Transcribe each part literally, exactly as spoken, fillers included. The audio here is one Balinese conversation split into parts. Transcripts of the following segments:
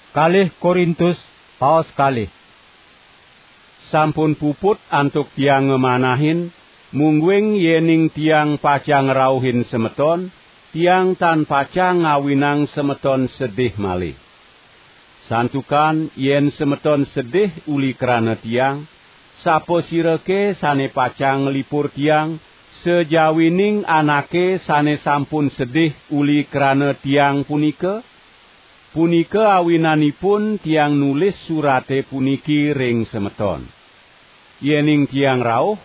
Kalih Korintus, paos kalih. Sampun puput antuk tiang ngamanahin, mungguing yening tiang pacang ngrauhin semeton, tiang tan pacang ngawinang semeton sedih malih. Santukan yen semeton sedih uli krana tiang, sapasirake sane pacang nglipur tiang, sajawining anake sane sampun sedih uli krana tiang punika? Punika awinanipun tiang nulis surate puniki ring semeton. Yening tiang rauh,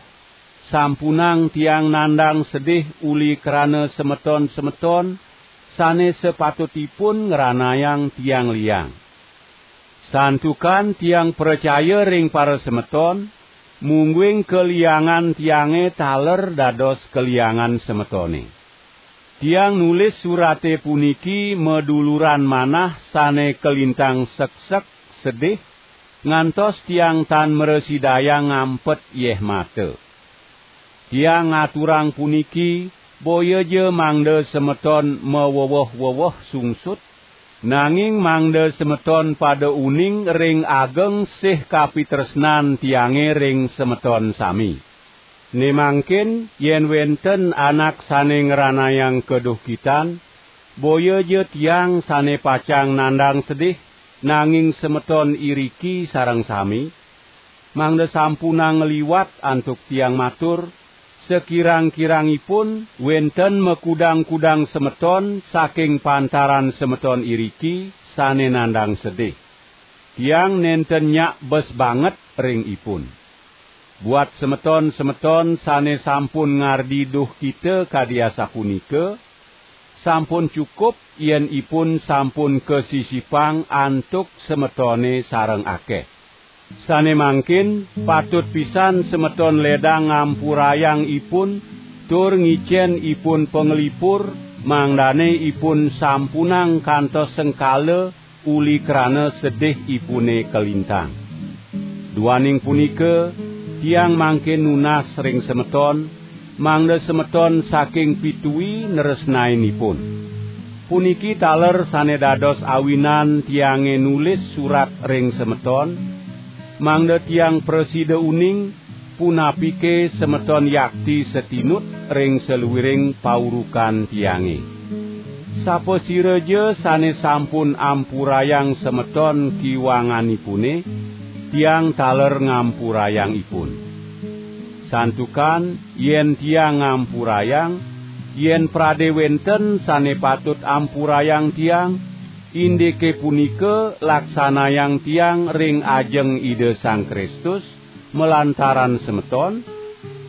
sampunang tiang nandang sedih uli krana semeton-semeton sane sapatutipun ngranayang tiang liang. Santukan tiang pracaya ring parasemeton, mungguing kaliangan tiange taler dados kaliangan semetone. Tiang nulis surate puniki maduluran manah sane kalintang seksek sedih, ngantos tiang tan mrasidayang ngampet yeh mata. Tiang ngaturang puniki, boyaja mangda semeton maweweh-weweh sungsut, nanging mangda semeton pada uning ring ageng sih kapitresnan tiange ring semeton sami. Ne mangkin, yen wenten anak sane ngranayang kaduhkitan, boyaja tiang sane pacang nandang sedih, nanging semeton iriki sareng sami, mangda sampunang ngliwat antuk tiang matur, sakirang-kirangipun wenten makudang-kudang semeton saking pantaran semeton iriki sane nandang sedih. Tiang nenten nyak bes banget ring ipun. Buat semeton-semeton sane sampun ngardi duhkita kadi asapunika, sampun cukup yen ipun sampun kasisipang antuk semetone sareng akeh. Sane mangkin, patut pisan semeton ledang ngampurayang ipun, tur ngicen ipun panglipur, mangdane ipun sampunang kantos sengkala uli krana sedih ipune kalintang. Duaning punika, tiang mangkin nunas ring semeton, mangda semeton saking pitui nresnain ipun. Puniki taler sane dados awinan tiange nulis surat ring semeton, mangda tiang prasida uning, punapike semeton yakti satinut ring saluiring paurukan tiange. Sapasiraja sane sampun ampurayang semeton kiwanganipune, tiang taler ngampurayang ipun. Santukan yen tiang ngampurayang, yen prade wenten sane patut ampurayang tiang, indike punika laksanayang tiang ring ajeng Ida Sang Kristus, malantaran semeton,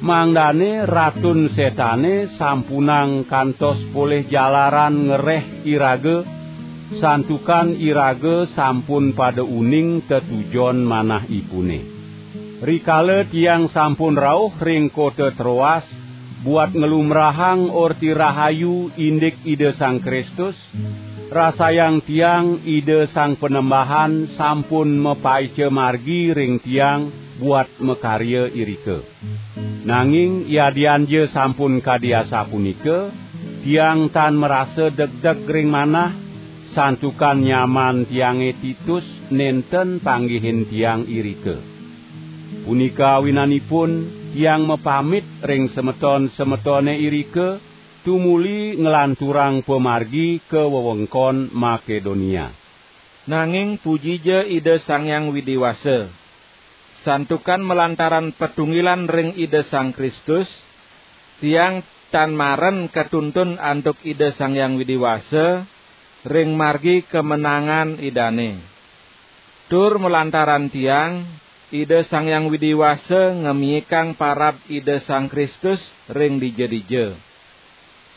mangdane Ratun Setane sampunang kantos polih jalaran ngereh iraga, santukan iraga sampun pada uning tetujon manahipune. Rikala tiang sampun rauh ring kota Troas, buat nglumrahang Orti Rahayu indik Ida Sang Kristus, rasayang tiang Ida Sang Panembahan sampun mapaica margi ring tiang buat makarya irika. Nanging yadianja sampun kadi asapunika, tiang tan marasa degdeg ring manah, santukan nyaman tiange Titus nenten panggihin tiang irika. Punika awinanipun tiang mapamit ring semeton-semetone irika, tumuli nglanturang pamargi ka wewengkon Makedonia. Nanging pujija Ida Sang Hyang Widi Wasa. Santukan malantaran patunggilan ring Ida Sang Kristus, tiang tan maren katuntun antuk Ida Sang Hyang Widi Wasa ring margi kamenangan Idane. Tur malantaran tiang, Ida Sang Hyang Widi Wasa ngamiikang parab Ida Sang Kristus ring dija-dija.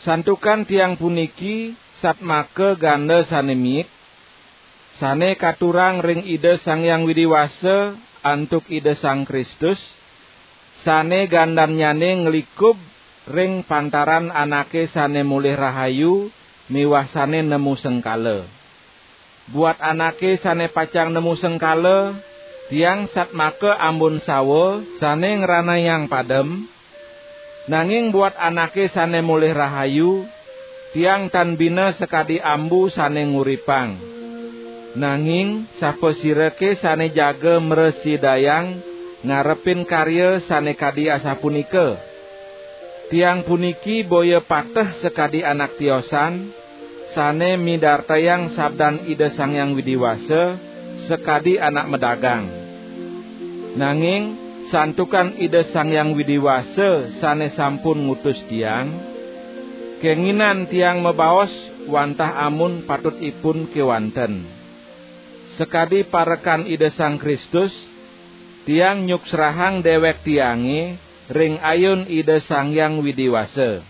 Santukan tiang puniki satmaka ganda sane miik, sane katurang ring Ida Sang Hyang Widi Wasa antuk Ida Sang Kristus, sane gandannyane nglikub ring pantaran anake sane molih rahayu miwah sane nemu sengkala. Buat anake sane pacang nemu sengkala, tiang satmaka ambun sawa sane ngranayang padem, nanging buat anake sane molih rahayu, tiang tan bina sakadi ambu sane nguripang. Nanging sapasirake sane jaga mrasidayang ngarepin karya sane kadi asapunika? Tiang puniki boya pateh sakadi anak tiosan, sane midartayang sabdan Ida Sang Hyang Widi Wasa sakadi anak madagang. Nanging santukan Ida Sang Hyang Widi Wasa sane sampun ngutus tiang, kenginan tiang mabaos wantah amun patut ipun kewanten. Sakadi parekan Ida Sang Kristus, tiang nyuksrahang dewek tiange ring ayun Ida Sang Hyang Widi Wasa.